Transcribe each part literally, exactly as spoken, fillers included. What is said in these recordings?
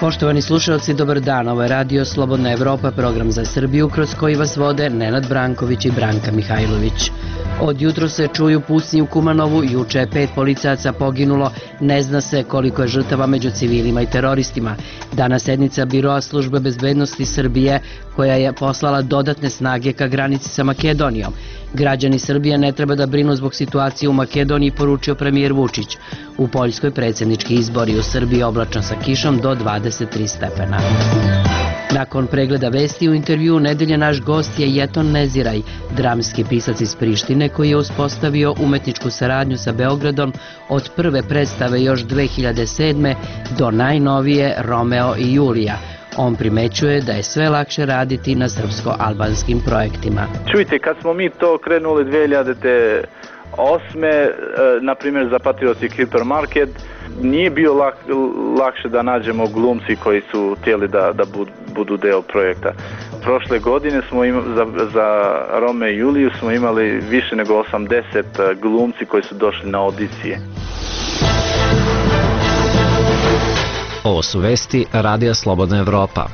Poštovani slušalci, dobar dan. Ovo je Radio Slobodna Evropa, program za Srbiju kroz koji vas vode Nenad Branković i Branka Mihajlović. Od jutro se čuju pucnji u Kumanovu, juče je pet policajaca poginulo, ne zna se koliko je žrtava među civilima i teroristima. Danas sednica Biroa službe bezbednosti Srbije koja je poslala dodatne snage ka granici sa Makedonijom. Građani Srbije ne treba da brinu zbog situacije u Makedoniji, poručio premijer Vučić. U Poljskoj predsjednički izbori, u Srbiji oblačno sa kišom do dvadeset tri stepena. Nakon pregleda vesti u intervju nedelje naš gost je Jeton Neziraj, dramski pisac iz Prištine koji je uspostavio umetničku saradnju sa Beogradom od prve predstave još dve hiljade sedme do najnovije Romeo i Julija. On primećuje da je sve lakše raditi na srpsko-albanskim projektima. Čujte, kad smo mi to krenuli dve hiljade osme, na primjer za Patrioti Hipermarket, nije bio lak, lakše da nađemo glumci koji su htjeli da, da budu deo projekta. Prošle godine smo ima, za, za Rome i Juliju smo imali više nego osamdeset glumci koji su došli na audicije. Ovo su vesti Radija Slobodna Evropa.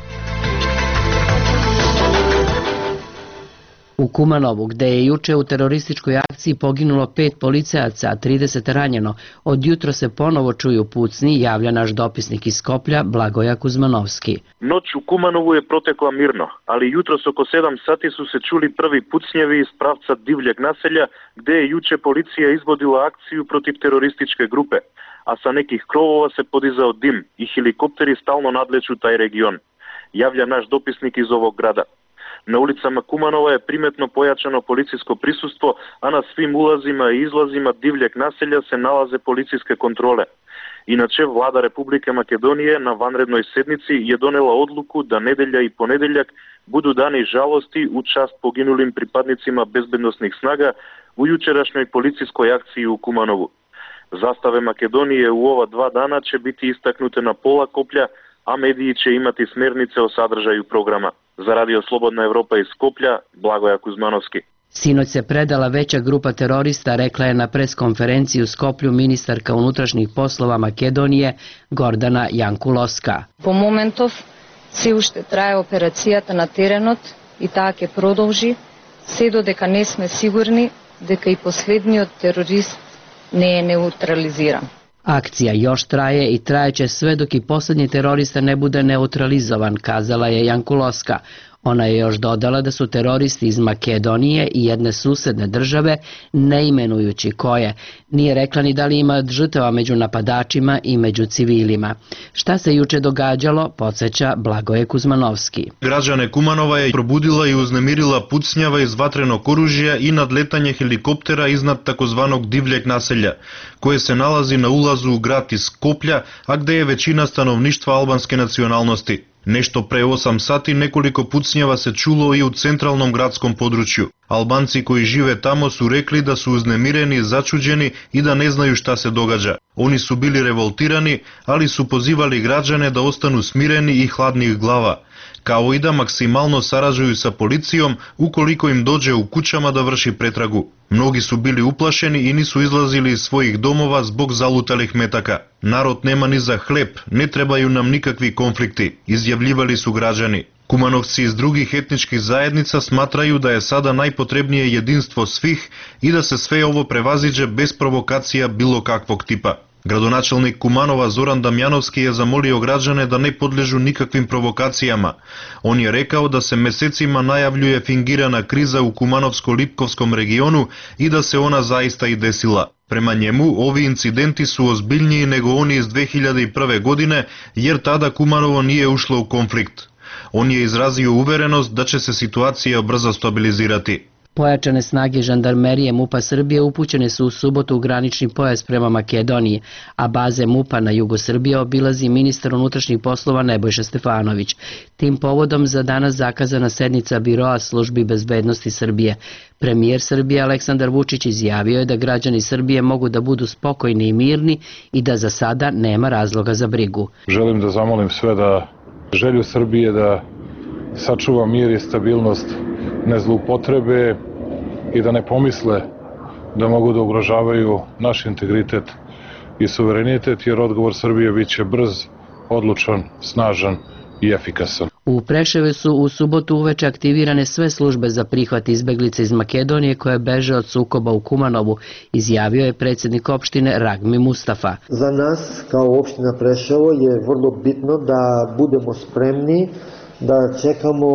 U Kumanovu, gde je juče u terorističkoj akciji poginulo pet policajaca, a trideset ranjeno, od jutro se ponovo čuju pucnji, javlja naš dopisnik iz Skoplja, Blagoja Kuzmanovski. Noć u Kumanovu je protekla mirno, ali jutros oko sedam sati su se čuli prvi pucnjevi iz pravca divljeg naselja, gde je juče policija izvodila akciju protiv terorističke grupe, a sa nekih krovova se podizao dim i helikopteri stalno nadleću taj region, javlja naš dopisnik iz ovog grada. Na ulicama Kumanova je primetno pojačano policijsko prisustvo, a na svim ulazima i izlazima divljeg naselja se nalaze policijske kontrole. Inače, vlada Republike Makedonije na vanrednoj sednici je donela odluku da nedelja i ponedeljak budu dani žalosti u čast poginulim pripadnicima bezbednosnih snaga u jučerašnjoj policijskoj akciji u Kumanovu. Zastave Makedonije u ova dva dana će biti istaknute na pola koplja, a mediji će imati smernice o sadržaju programa. Za Radio Slobodna Evropa iz Skoplja, Blagoja Kuzmanovski. Sinoć se predala veća grupa terorista, rekla je na preskonferenciji u Skoplju ministarka unutrašnjih poslova Makedonije Gordana Jankulovska. По моментов се уште трае операцијата на теренот и таа ќе продолжи се додека не сме сигурни дека и последниот терорист не е неутрализиран. Akcija još traje i trajeće sve dok i posljednji terorista ne bude neutralizovan, kazala je Jankulovska. Ona je još dodala da su teroristi iz Makedonije i jedne susedne države, ne imenujući koje. Nije rekla ni da li ima žrtava među napadačima i među civilima. Šta se juče događalo, podsjeća Blagoje Kuzmanovski. Građane Kumanova je probudila i uznemirila pucnjava iz vatrenog oružja i nadletanje helikoptera iznad takozvanog divljeg naselja, koje se nalazi na ulazu u grad iz Skoplja, a gde je većina stanovništva albanske nacionalnosti. Nešto pre osam sati nekoliko pucnjava se čulo i u centralnom gradskom području. Albanci koji žive tamo su rekli da su uznemireni, začuđeni i da ne znaju šta se događa. Oni su bili revoltirani, ali su pozivali građane da ostanu smireni i hladnih glava, kao i da maksimalno sarađuju sa policijom ukoliko im dođe u kućama da vrši pretragu. Mnogi su bili uplašeni i nisu izlazili iz svojih domova zbog zalutalih metaka. Narod nema ni za hleb, ne trebaju nam nikakvi konflikti, izjavljivali su građani. Kumanovci iz drugih etničkih zajednica smatraju da je sada najpotrebnije jedinstvo svih i da se sve ovo prevaziđe bez provokacija bilo kakvog tipa. Gradonačelnik Kumanova Zoran Damjanovski je zamolio građane da ne podležu nikakvim provokacijama. On je rekao da se mesecima najavljuje fingirana kriza u Kumanovsko-Lipkovskom regionu i da se ona zaista i desila. Prema njemu, ovi incidenti su ozbiljniji nego oni iz dve hiljade prve. godine, jer tada Kumanovo nije ušlo u konflikt. On je izrazio uverenost da će se situacija brzo stabilizirati. Pojačane snage žandarmerije MUP-a Srbije upućene su u subotu u granični pojas prema Makedoniji, a baze MUP-a na jugu Srbije obilazi ministar unutrašnjih poslova Nebojša Stefanović. Tim povodom za danas zakazana sednica Biroa službi bezbednosti Srbije. Premijer Srbije Aleksandar Vučić izjavio je da građani Srbije mogu da budu spokojni i mirni i da za sada nema razloga za brigu. Želim da zamolim sve da želju Srbije da sačuva mir i stabilnost ne zloupotrebe i da ne pomisle da mogu da ugrožavaju naš integritet i suverenitet, jer odgovor Srbije bit će brz, odlučan, snažan i efikasan. U Preševu su u subotu uveče aktivirane sve službe za prihvat izbeglica iz Makedonije koje beže od sukoba u Kumanovu, izjavio je predsjednik opštine Ragmi Mustafa. Za nas kao opština Preševo je vrlo bitno da budemo spremni, da čekamo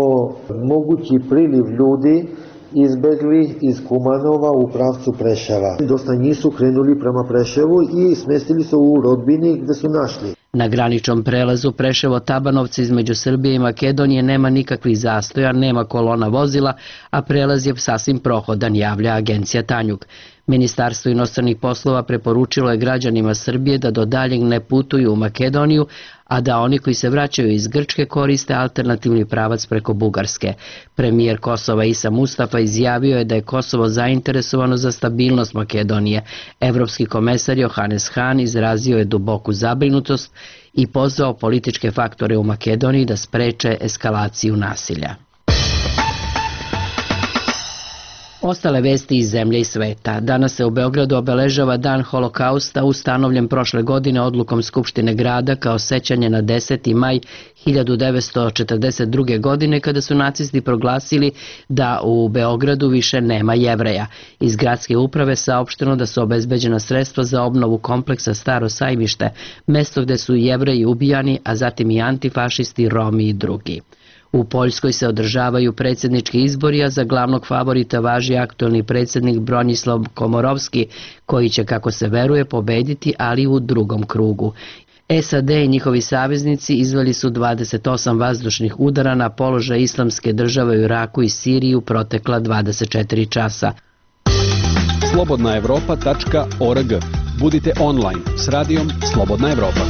mogući priliv ljudi izbegli iz Kumanova u pravcu Preševa. Dosta njih su krenuli prema Preševu i smestili se u rodbini gde su našli. Na graničnom prelazu Preševo-Tabanovci između Srbije i Makedonije nema nikakvih zastoja, nema kolona vozila, a prelaz je sasvim prohodan, javlja agencija Tanjug. Ministarstvo inostranih poslova preporučilo je građanima Srbije da do daljeg ne putuju u Makedoniju, a da oni koji se vraćaju iz Grčke koriste alternativni pravac preko Bugarske. Premijer Kosova Isa Mustafa izjavio je da je Kosovo zainteresovano za stabilnost Makedonije. Evropski komesar Johannes Hahn izrazio je duboku zabrinutost i pozvao političke faktore u Makedoniji da spreče eskalaciju nasilja. Ostale vesti iz zemlje i sveta. Danas se u Beogradu obeležava Dan Holokausta, ustanovljen prošle godine odlukom Skupštine grada kao sećanje na deseti maj hiljadu devetsto četrdeset druge. godine kada su nacisti proglasili da u Beogradu više nema Jevreja. Iz gradske uprave saopšteno da su obezbeđena sredstva za obnovu kompleksa Staro Sajmište, mesto gde su Jevreji ubijani, a zatim i antifašisti, Romi i drugi. U Poljskoj se održavaju predsjednički izbori, a za glavnog favorita važi aktuelni predsjednik Bronislav Komorovski, koji će, kako se veruje, pobediti, ali u drugom krugu. S A D i njihovi saveznici izveli su dvadeset osam vazdušnih udara na položaj Islamske države u Iraku i Siriji u protekla dvadeset četiri časa. slobodna evropa tačka org. Budite online s radijom Slobodna Evropa.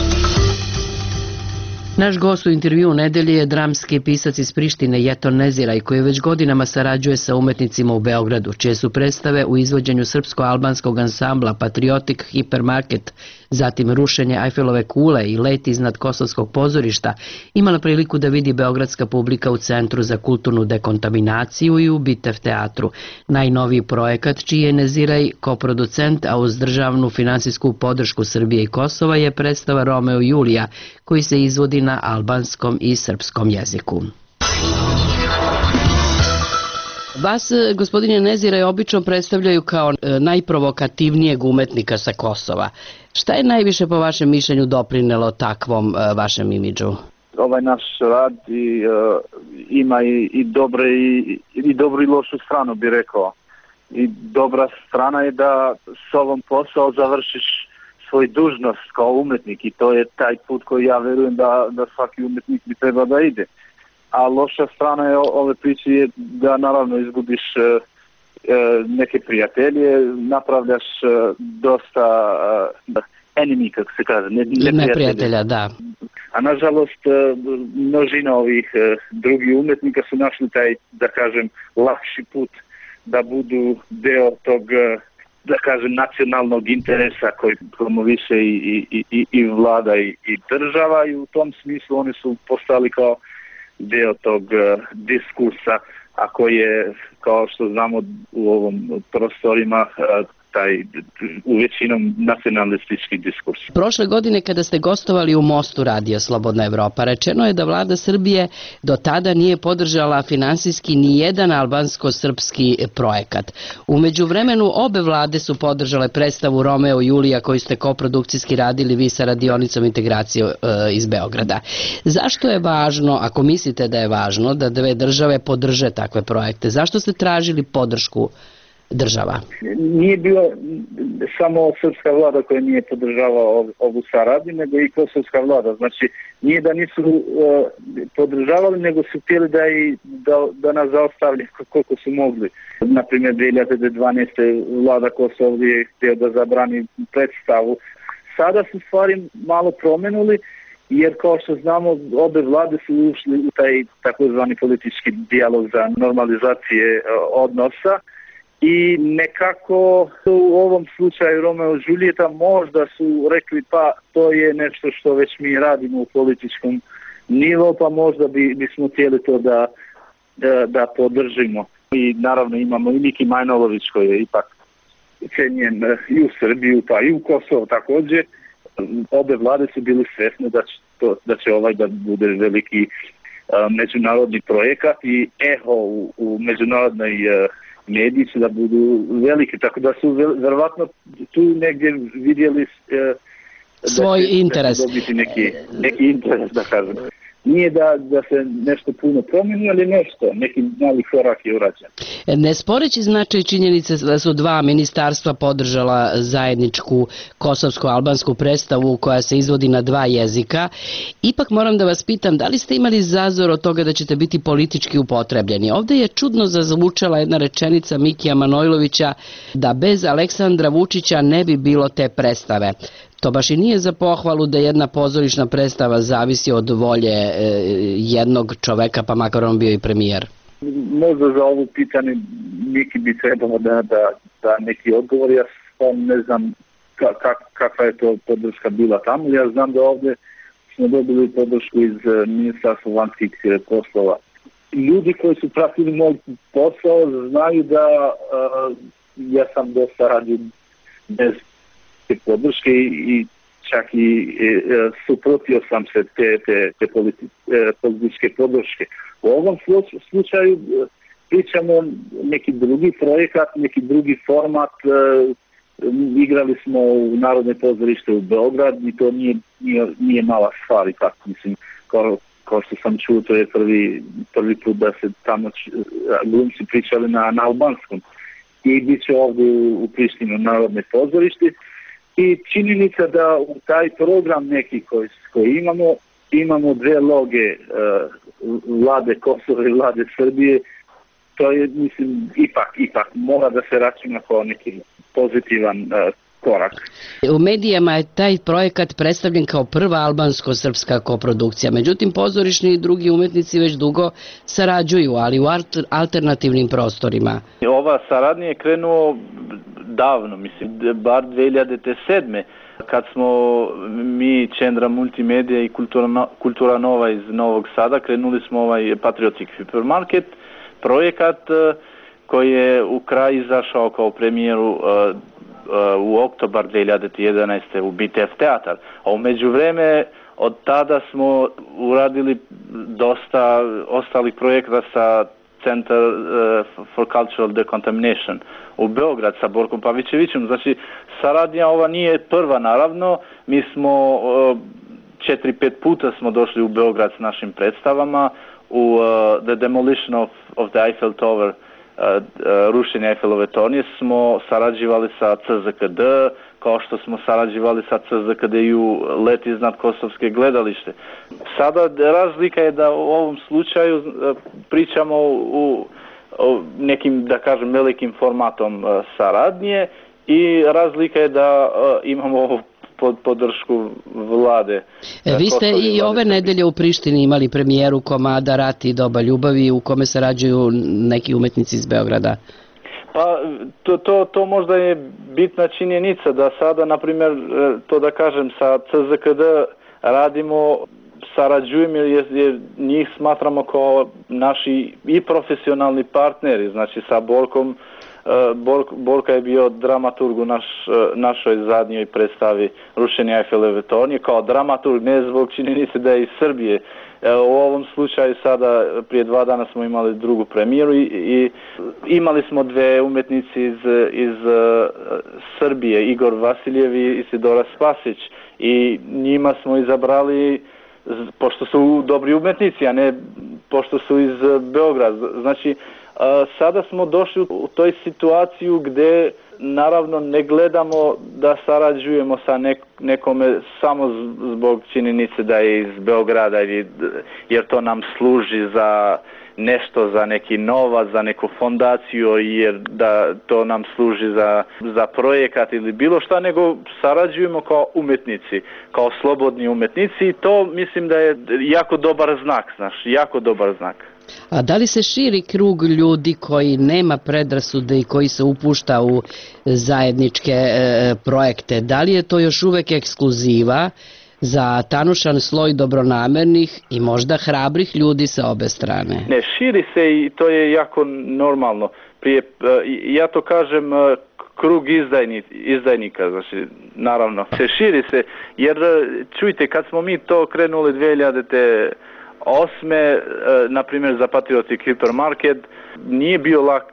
Naš gost u intervjuu nedelje je dramski pisac iz Prištine Jeton Neziraj, koji već godinama sarađuje sa umetnicima u Beogradu, čije su predstave u izvođenju srpsko-albanskog ansambla Patriotic Hipermarket, zatim Rušenje Ajfelove kule i Let iznad Kosovskog pozorišta, imala priliku da vidi beogradska publika u Centru za kulturnu dekontaminaciju i u Bitev teatru. Najnoviji projekat, čiji je Neziraj koproducent, a uz državnu finansijsku podršku Srbije i Kosova, je predstava Romeo i Julija, koji se izvodi na albanskom i srpskom jeziku. Vas, gospodine Neziraj, obično predstavljaju kao najprovokativnijeg umetnika sa Kosova. Šta je najviše po vašem mišljenju doprinelo takvom vašem imidžu? Ovaj naš rad i, uh, ima i, i dobre i, i dobru i lošu stranu, bi rekao. I dobra strana je da s ovom posao završiš svoj dužnost kao umetnik i to je taj put koji ja verujem da, da svaki umetnik bi treba da ide. A loša strana je ove priče je da naravno izgubiš e, neke prijatelje, napravljaš e, dosta e, enemy, kako se kaže, ne, ne prijatelja, da. A nažalost e, množina ovih e, drugih umetnika su našli taj, da kažem, lakši put da budu deo tog, da kažem, nacionalnog interesa koji promoviše i, i, i, i vlada i, i država i u tom smislu oni su postali kao deo tog uh, diskursa, a koji je, kao što znamo u ovom prostorima, uh, taj u većinom nacionalistički diskurs. Prošle godine kada ste gostovali u Mostu Radio Slobodna Evropa, rečeno je da vlada Srbije do tada nije podržala finansijski ni jedan albansko-srpski projekat. U međuvremenu obe vlade su podržale predstavu Romeo i Julija koju ste koprodukcijski radili vi sa radionicom integracije e, iz Beograda. Zašto je važno, ako mislite da je važno, da dve države podrže takve projekte? Zašto ste tražili podršku država? Nije bilo samo srpska vlada koja nije podržavala ovu saradnju, nego i kosovska vlada. Znači, nije da nisu uh, podržavali, nego su htjeli da, i, da, da nas zaostavlja koliko su mogli. Naprimjer, dve hiljade dvanaeste. vlada Kosova je htio da zabrani predstavu. Sada su stvari malo promenuli, jer kao što znamo, obe vlade su ušli u taj takozvani politički dijalog za normalizacije uh, odnosa. I nekako u ovom slučaju Romeo i Julijeta možda su rekli pa to je nešto što već mi radimo u političkom nivou, pa možda bi, bismo htjeli to da, da, da podržimo. I naravno imamo i Miki Manojlović koji je ipak cenjen i u Srbiju pa i u Kosovo također. Obe vlade su bili svjesne da će to, da će ovaj da bude veliki uh, međunarodni projekat i eho u, u međunarodnoj uh, mediji će da budu veliki, tako da su verovatno tu negdje vidjeli uh, svoj da će, interes. Da će dobiti neki, neki interes, da kažem. Nije da, da se nešto puno promeni, ali nešto, neki mali korak je urađen. Ne sporeći značaj činjenice da su dva ministarstva podržala zajedničku kosovsko-albansku predstavu koja se izvodi na dva jezika, ipak moram da vas pitam da li ste imali zazor od toga da ćete biti politički upotrebljeni. Ovde je čudno zazvučala jedna rečenica Mikija Manojlovića da bez Aleksandra Vučića ne bi bilo te predstave. To baš i nije za pohvalu da jedna pozorišna predstava zavisi od volje e, jednog čoveka, pa makar on bio i premijer. Možda za ovo pitanje Miki bi trebalo da, da, da neki odgovor. Ja sam ne znam ka, ka, kakva je to podrška bila tamo. Ja znam da ovdje smo dobili podršku iz Ministarstva vanjskih poslova. Ljudi koji su pratili moj posao znaju da uh, ja sam dosta radio bez podrške i čak i e, suprotio sam se te, te, te politi, e, političke podrške. U ovom slučaju e, pričamo neki drugi projekat, neki drugi format. E, igrali smo u Narodne pozorište u Beograd i to nije, nije, nije mala stvar. Tako, mislim, kao, kao što sam čuo, to je prvi, prvi put da se tamo glumci pričali na, na albanskom. I bit će ovdje u, u Prištinu Narodne pozorište. I činjenica da u taj program neki koji, koji imamo, imamo dve loge uh, vlade Kosova i vlade Srbije, to je, mislim, ipak, ipak mora da se računa kao neki pozitivan uh, korak. U medijama je taj projekat predstavljen kao prva albansko-srpska koprodukcija, međutim pozorišni i drugi umetnici već dugo sarađuju, ali u alternativnim prostorima. Ova saradnja je krenuo davno, mislim, bar dve hiljade sedme. Kad smo mi, Čendra Multimedia i Kultura, Kultura Nova iz Novog Sada, krenuli smo ovaj Patriotic Hypermarket, projekat koji je u kraj izašao kao premijeru uh, uh, u oktobar dve hiljade jedanaeste. u B T F teatar. A u međuvreme od tada smo uradili dosta ostalih projekata sa Center uh, for Cultural Decontamination u Beograd sa Borkom Pavićevićem. Znači, saradnja ova nije prva, naravno. Mi smo uh, četiri, pet puta smo došli u Beograd s našim predstavama. U uh, The Demolition of, of the Eiffel Tower, uh, uh, rušenje Eiffelove tornje, smo sarađivali sa C Z K D, kao što smo sarađivali sa C Z K D i u Let iznad Kosovske gledalište. Sada razlika je da u ovom slučaju uh, pričamo u, u nekim, da kažem, velikim formatom uh, saradnje i razlika je da uh, imamo pod podršku vlade. E, vi ste i ove nedelje u Prištini imali premijeru komada Rat i doba ljubavi u kome sarađuju neki umetnici iz Beograda. Pa to, to, to možda je bitna činjenica da sada, na primjer, to da kažem, sa C Z K D radimo, sarađujemo jer, jer njih smatramo kao naši i profesionalni partneri, znači sa Borkom. Bork, Borka je bio dramaturg u naš, našoj zadnjoj predstavi Rušenje Eiffelove tornje, kao dramaturg, ne zbog činjenice da je iz Srbije. U ovom slučaju sada prije dva dana smo imali drugu premijeru i, i imali smo dve umetnici iz, iz Srbije, Igor Vasiljev i Isidora Spasić, i njima smo izabrali pošto su dobri umetnici, a ne pošto su iz Beograda. Znači, sada smo došli u toj situaciju gdje naravno ne gledamo da sarađujemo sa nek, nekome samo zbog činjenice da je iz Beograda, jer to nam služi za nešto, za neki novac, za neku fondaciju, jer da to nam služi za, za projekat ili bilo šta, nego sarađujemo kao umetnici, kao slobodni umetnici, i to mislim da je jako dobar znak, znaš, jako dobar znak. A da li se širi krug ljudi koji nema predrasude i koji se upušta u zajedničke e, projekte? Da li je to još uvek ekskluziva? za tanušan sloj dobronamernih i možda hrabrih ljudi sa obe strane. Ne, širi se i to je jako normalno. Prije, ja to kažem, krug izdajni, izdajnika, znači, naravno, se širi se, jer čujte, kad smo mi to krenuli dve hiljade osme, na primjer za Patriotic Hypermarket, nije bio lak,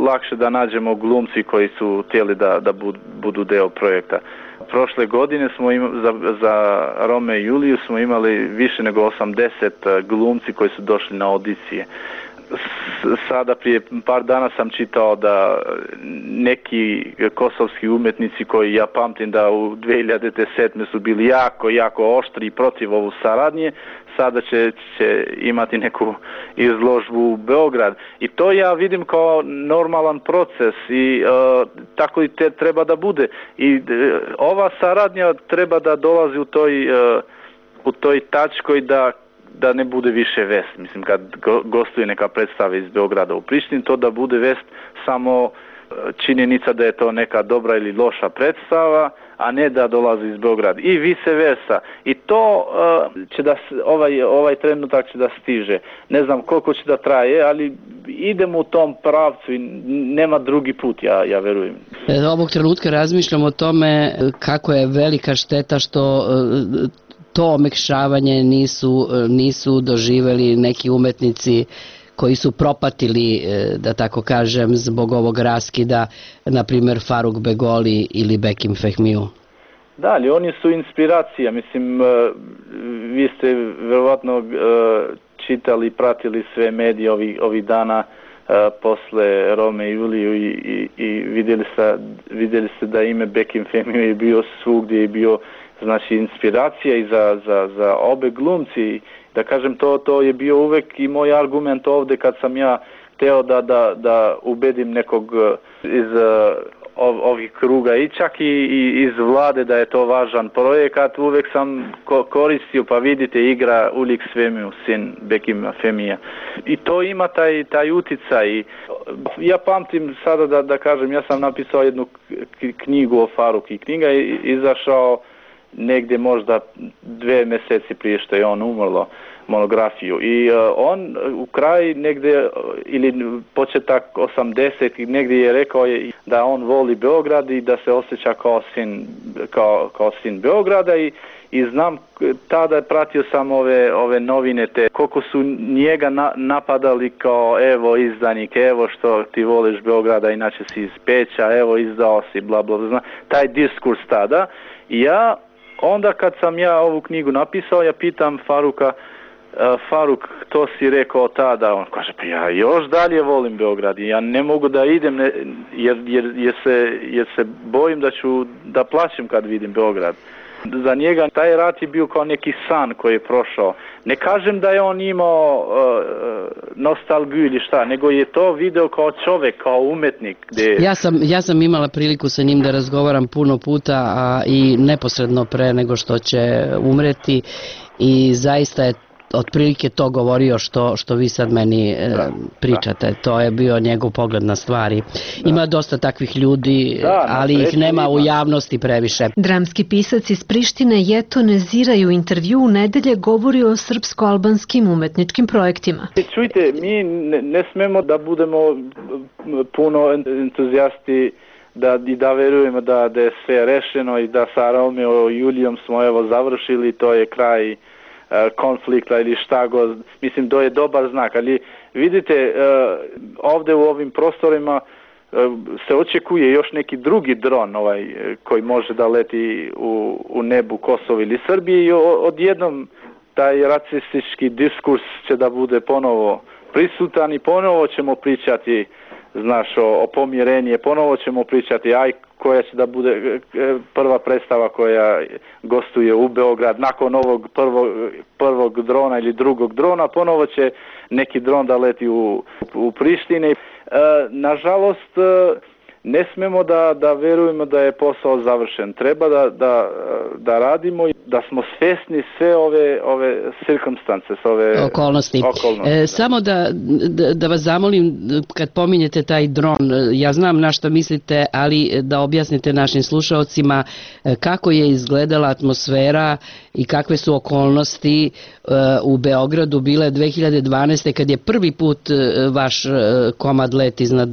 lakše da nađemo glumci koji su htjeli da, da budu deo projekta. Prošle godine smo imali, za, za Rome i Juliju smo imali više nego osamdeset glumci koji su došli na audicije. Sada prije par dana sam čitao da neki kosovski umetnici koji ja pamtim da u dve hiljade sedme su bili jako, jako oštri protiv ovu saradnje, sada će, će imati neku izložbu u Beograd. I to ja vidim kao normalan proces i uh, tako i te treba da bude. I uh, ova saradnja treba da dolazi u toj, uh, u toj tačkoj da da ne bude više vest. Mislim, kad gostuje neka predstava iz Beograda u Prištini, to da bude vest samo činjenica da je to neka dobra ili loša predstava, a ne da dolazi iz Beograda. I vice versa. I to uh, će da, ovaj, ovaj trenutak će da stiže. Ne znam koliko će da traje, ali idemo u tom pravcu i nema drugi put, ja, ja verujem. Ovog trenutka razmišljam o tome kako je velika šteta što uh, to omekšavanje nisu, nisu doživeli neki umetnici koji su propatili, da tako kažem, zbog ovog raskida, na primjer Faruk Begoli ili Bekim Fehmiju. Da, ali oni su inspiracija. Mislim, vi ste verovatno čitali, pratili sve medije ovih, ovih dana posle Rome i Juliju i, i, i vidjeli, ste, vidjeli ste da ime Bekim Fehmiju je bio svugdje i bio znači inspiracija i za, za, za obe glumci. Da kažem, to, to je bio uvek i moj argument ovde kad sam ja hteo da, da, da ubedim nekog iz ov, ovih kruga i čak i, i iz vlade da je to važan projekat. Uvek sam ko, koristio, pa vidite, igra Ulik Svemiju, sin Bekima Femija. I to ima taj, taj uticaj. Ja pamtim sada da, da kažem, ja sam napisao jednu knjigu o Faruku i knjiga je izašao negdje možda dve mjeseci prije što je on umrlo, monografiju. I uh, on u kraj negdje, ili početak osamdesetih negdje je rekao je da on voli Beograd i da se osjeća kao sin, kao, kao sin Beograda i, i znam, tada pratio sam ove, ove novine te, koliko su njega na, napadali kao evo izdanik, evo što ti voliš Beograda, inače si iz Peća, evo izdao si, bla bla bla, taj diskurs tada. I ja onda kad sam ja ovu knjigu napisao, ja pitam Faruka, uh, Faruk, to si rekao tada, on kaže, pa ja još dalje volim Beograd i ja ne mogu da idem ne, jer, jer, jer, se, jer se bojim da ću da plaćem kad vidim Beograd. Za njega taj rat je bio kao neki san koji je prošao. Ne kažem da je on imao uh, nostalgiju ili šta, nego je to video kao čovjek, kao umetnik. Gdje... Ja sam, ja sam imala priliku sa njim da razgovaram puno puta a i neposredno pre nego što će umreti i zaista je otprilike to govorio što, što vi sad meni da, pričate. Da. To je bio njegov pogled na stvari. Da. Ima dosta takvih ljudi, da, ali ih nema ima. U javnosti previše. Dramski pisac iz Prištine Jeto Neziraj u intervju u nedelje govori o srpsko-albanskim umetničkim projektima. Čujte, mi ne, ne smemo da budemo puno entuzijasti da, i da verujemo da, da je sve rešeno i da sa Romeo i Julijom smo evo završili, to je kraj konflikta ili šta god, mislim to je dobar znak, ali vidite ovdje u ovim prostorima se očekuje još neki drugi dron ovaj, koji može da leti u, u nebu Kosova ili Srbije i odjednom taj rasistički diskurs će da bude ponovo prisutan i ponovo ćemo pričati znaš, o, o pomirenje, ponovo ćemo pričati aj koja će da bude prva predstava koja gostuje u Beograd nakon ovog prvog, prvog drona ili drugog drona, ponovo će neki dron da leti u, u Prištini. E, nažalost, ne smemo da, da verujemo da je posao završen. Treba da, da, da radimo. da smo svesni sve ove ove circumstance, ove okolnosti. okolnosti. E, samo da, da, da vas zamolim, kad pominjete taj dron, ja znam na što mislite, ali da objasnite našim slušaocima kako je izgledala atmosfera i kakve su okolnosti u Beogradu bile dve hiljade dvanaeste. kad je prvi put vaš komad let iznad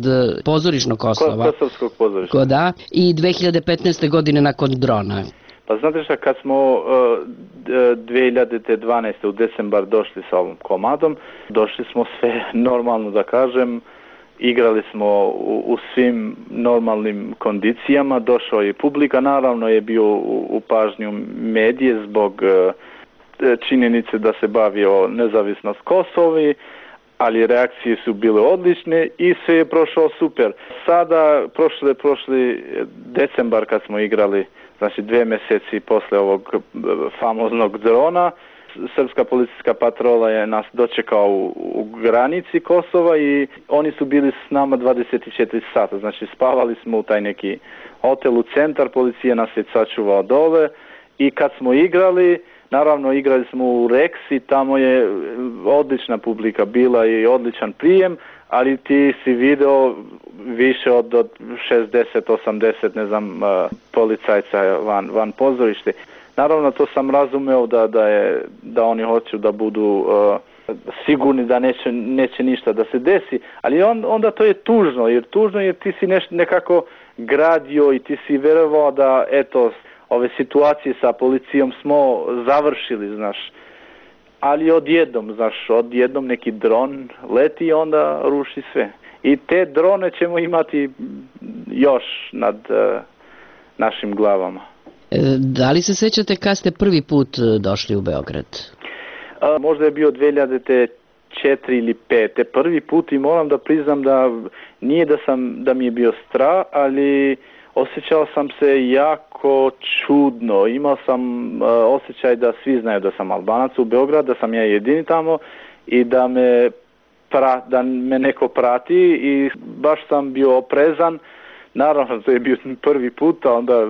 pozorišnog Kosova. Kosovskog pozorišta. Da, i dve hiljade petnaeste. godine nakon drona. Pa znate šta, kad smo uh, dve hiljade dvanaeste. u decembar došli sa ovom komadom, došli smo sve normalno da kažem, igrali smo u, u svim normalnim kondicijama, došao je publika, naravno je bio u, u pažnju medije zbog uh, činjenice da se bavio nezavisnost Kosovi, ali reakcije su bile odlične i sve je prošao super. Sada, prošli, prošli decembar kad smo igrali, znači dve mjeseci posle ovog famoznog drona, srpska policijska patrola je nas dočekao u, u granici Kosova i oni su bili s nama dvadeset četiri sata, znači spavali smo u taj neki hotel u centar, policija nas je sačuvao dole i kad smo igrali, naravno igrali smo u Reksi, tamo je odlična publika bila i odličan prijem, ali ti si video više od, od šezdeset osamdeset ne znam policajca van, van pozorište. Naravno to sam razumeo da, da, je, da oni hoću da budu uh, sigurni da neće, neće ništa da se desi, ali on, onda to je tužno, jer tužno jer ti si neš, nekako gradio i ti si verovao da eto ove situacije sa policijom smo završili, znaš. Ali odjednom, znaš, odjednom neki dron leti i onda ruši sve. I te drone ćemo imati još nad uh, našim glavama. E, da li se sećate kad ste prvi put došli u Beograd? A, možda je bio dve hiljade četiri ili pet. Prvi put i moram da priznam da nije da, sam, da mi je bio strah, ali osjećao sam se jako čudno. Imao sam uh, osjećaj da svi znaju da sam Albanac u Beogradu, da sam ja jedini tamo i da me, pra, da me neko prati i baš sam bio oprezan. Naravno, to je bio prvi put, a onda,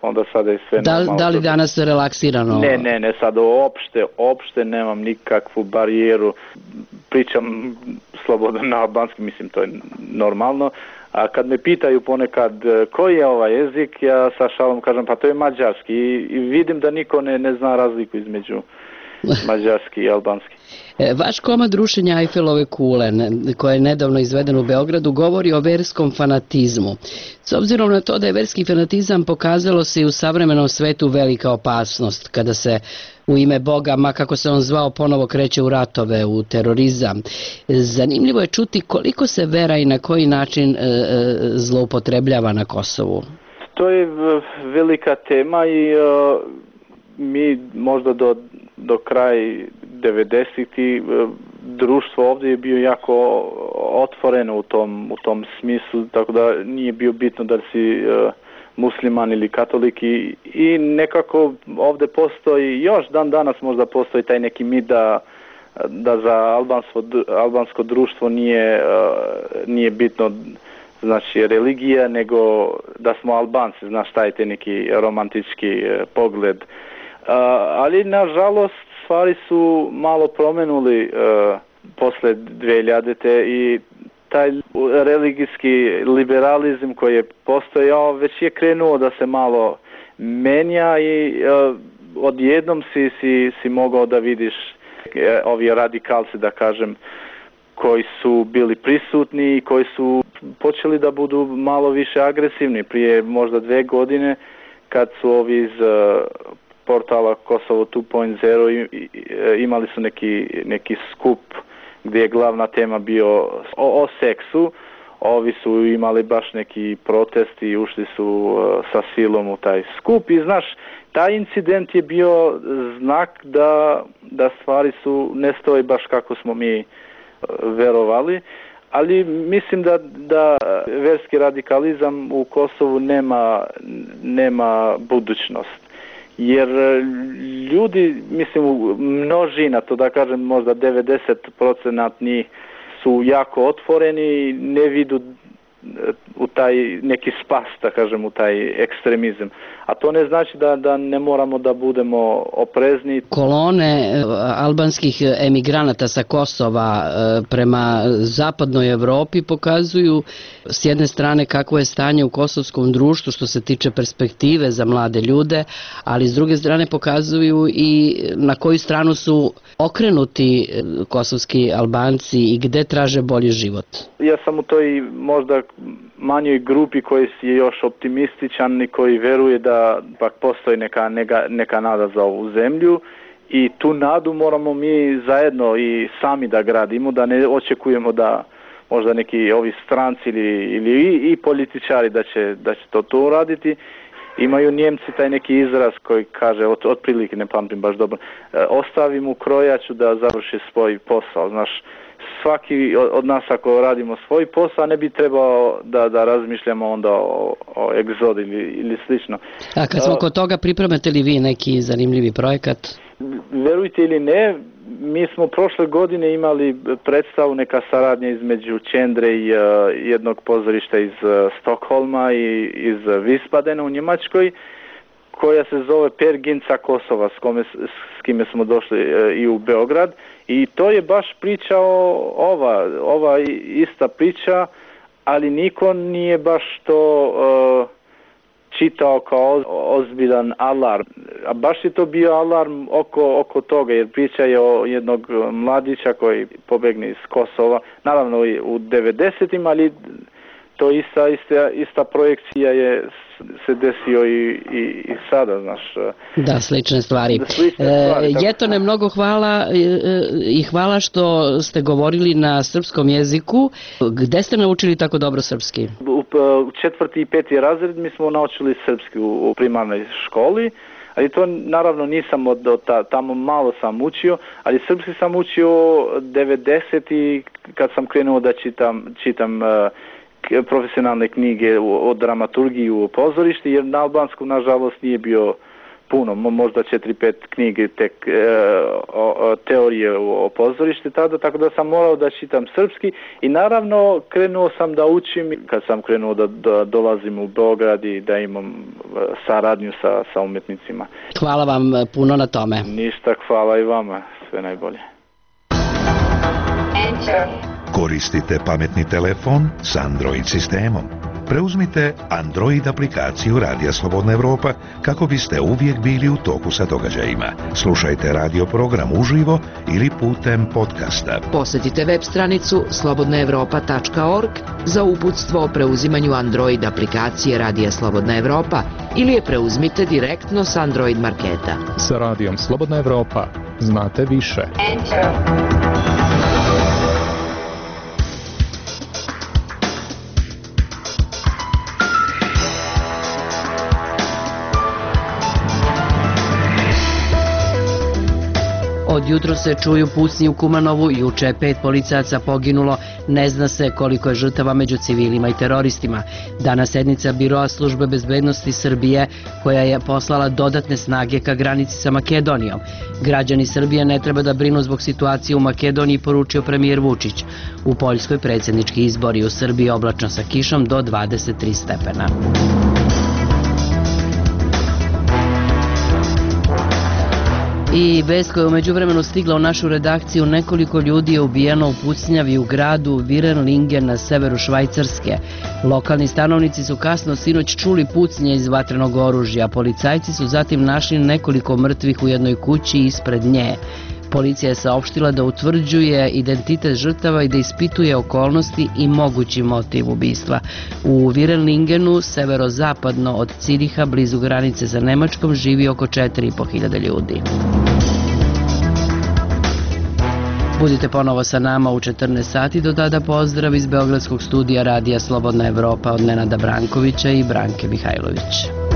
onda sada je sve da, normalno. Da li danas je relaksirano? Ne, ne, ne, sada opšte, opšte nemam nikakvu barijeru. Pričam slobodno na albanski, mislim, to je normalno. A kad me pitaju ponekad koji je ovaj jezik, ja sa šalom kažem pa to je mađarski i, i vidim da niko ne, ne zna razliku između mađarski i albanski. Vaš komad rušenja Eifelove kule, koje je nedavno izveden u Beogradu, govori o verskom fanatizmu. S obzirom na to da je verski fanatizam pokazalo se i u savremenom svetu velika opasnost, kada se u ime Boga, ma kako se on zvao, ponovo kreće u ratove, u terorizam. Zanimljivo je čuti koliko se vera i na koji način e, zloupotrebljava na Kosovu. To je velika tema i uh, mi možda do, do kraj devedesetih društvo ovdje je bio jako otvoreno u tom, u tom smislu, tako da nije bio bitno da si uh, musliman ili katolik i, i nekako ovdje postoji, još dan danas možda postoji taj neki mit da, da za albansko, albansko društvo nije, uh, nije bitno znači religija, nego da smo Albanci, znaš taj te neki romantički uh, pogled. Uh, ali nažalost stvari su malo promenuli uh, posle dve hiljadite i taj religijski liberalizam koji je postojao već je krenuo da se malo menja i uh, odjednom si, si, si mogao da vidiš uh, ovi radikalci, da kažem, koji su bili prisutni i koji su počeli da budu malo više agresivni. Prije možda dve godine kad su ovi iz uh, portala Kosovo dva nula imali su neki, neki skup gdje je glavna tema bio o, o seksu. Ovi su imali baš neki protest i ušli su uh, sa silom u taj skup i znaš, taj incident je bio znak da, da stvari su ne stoji baš kako smo mi uh, verovali, ali mislim da, da verski radikalizam u Kosovu nema, nema budućnost. Jer ljudi, mislim, množina, to da kažem možda devedeset posto njih su jako otvoreni i ne vidu u taj neki spas, da kažem, u taj ekstremizam. A to ne znači da, da ne moramo da budemo oprezni. Kolone albanskih emigranata sa Kosova prema zapadnoj Evropi pokazuju s jedne strane kakvo je stanje u kosovskom društvu što se tiče perspektive za mlade ljude, ali s druge strane pokazuju i na koju stranu su okrenuti kosovski Albanci i gde traže bolji život. Ja sam u toj možda manjoj grupi koji je još optimističan i koji veruje da pak postoji neka, neka, neka nada za ovu zemlju i tu nadu moramo mi zajedno i sami da gradimo, da ne očekujemo da možda neki ovi stranci ili, ili i, i političari da će, da će to, to uraditi. Imaju Njemci taj neki izraz koji kaže, od, otprilike ne pamtim baš dobro, ostavi mu krojaču da završi svoj posao, znaš. Svaki od nas ako radimo svoj posao ne bi trebao da, da razmišljamo onda o, o egzod ili, ili slično. A kad smo kod toga, pripremate li vi neki zanimljivi projekat? Verujte ili ne, mi smo prošle godine imali predstavu, neka saradnja između Čendre i uh, jednog pozorišta iz uh, Stokholma i iz Vispadena u Njemačkoj, koja se zove Perginca Kosova, s, kome, s kime smo došli uh, i u Beograd. I to je baš priča o, ova, ova ista priča, ali niko nije baš to uh, čitao kao ozbiljan alarm. A baš je to bio alarm oko, oko toga, jer priča je o jednog mladića koji pobegne iz Kosova, naravno u devedesetim, ali to ista, ista, ista projekcija je se desio i, i, i sada, znaš. Da, slične stvari. Da, slične stvari e, Jetone, mnogo hvala e, i hvala što ste govorili na srpskom jeziku. Gde ste naučili tako dobro srpski? U, u četvrti i peti razred mi smo naučili srpski u, u primarnoj školi, ali to naravno nisam od, od ta, tamo malo sam učio, ali srpski sam učio devedeseti kad sam krenuo da čitam, čitam uh, profesionalne knjige o dramaturgiji u pozorišti, jer na albanskom nažalost nije bio puno, možda četiri pet knjige tek e, o, o, teorije o, o pozorišti tada, tako da sam morao da čitam srpski i naravno krenuo sam da učim kad sam krenuo da, da dolazim u Beograd i da imam saradnju sa, sa umetnicima. Hvala vam puno na tome. Ništa, hvala i vama, sve najbolje. Koristite pametni telefon s Android sistemom. Preuzmite Android aplikaciju Radija Slobodna Evropa kako biste uvijek bili u toku sa događajima. Slušajte radio program uživo ili putem podcasta. Posjetite web stranicu slobodna evropa tačka org za uputstvo o preuzimanju Android aplikacije Radija Slobodna Evropa ili je preuzmite direktno s Android marketa. Sa Radijom Slobodna Evropa znate više. Enter. Od jutro se čuju pucnji u Kumanovu, juče je pet policajaca poginulo, ne zna se koliko je žrtava među civilima i teroristima. Danas sednica Biroa službe bezbednosti Srbije koja je poslala dodatne snage ka granici sa Makedonijom. Građani Srbije ne treba da brinu zbog situacije u Makedoniji, poručio premijer Vučić. U Poljskoj predsjednički izbori, u Srbiji oblačno sa kišom do dvadeset tri stepena. I vest koja je u međuvremenu stigla u našu redakciju, nekoliko ljudi je ubijeno u pucnjavi u gradu Virenlingen na severu Švajcarske. Lokalni stanovnici su kasno sinoć čuli pucnje iz vatrenog oružja. Policajci su zatim našli nekoliko mrtvih u jednoj kući ispred nje. Policija je saopštila da utvrđuje identitet žrtava i da ispituje okolnosti i mogući motiv ubistva. U Virenlingenu, severozapadno od Ciriha, blizu granice sa Nemačkom, živi oko četiri i po hiljade ljudi. Budite ponovo sa nama u četrnaest sati, do tada pozdrav iz Beogradskog studija Radija Slobodna Evropa od Nenada Brankovića i Branke Mihajlović.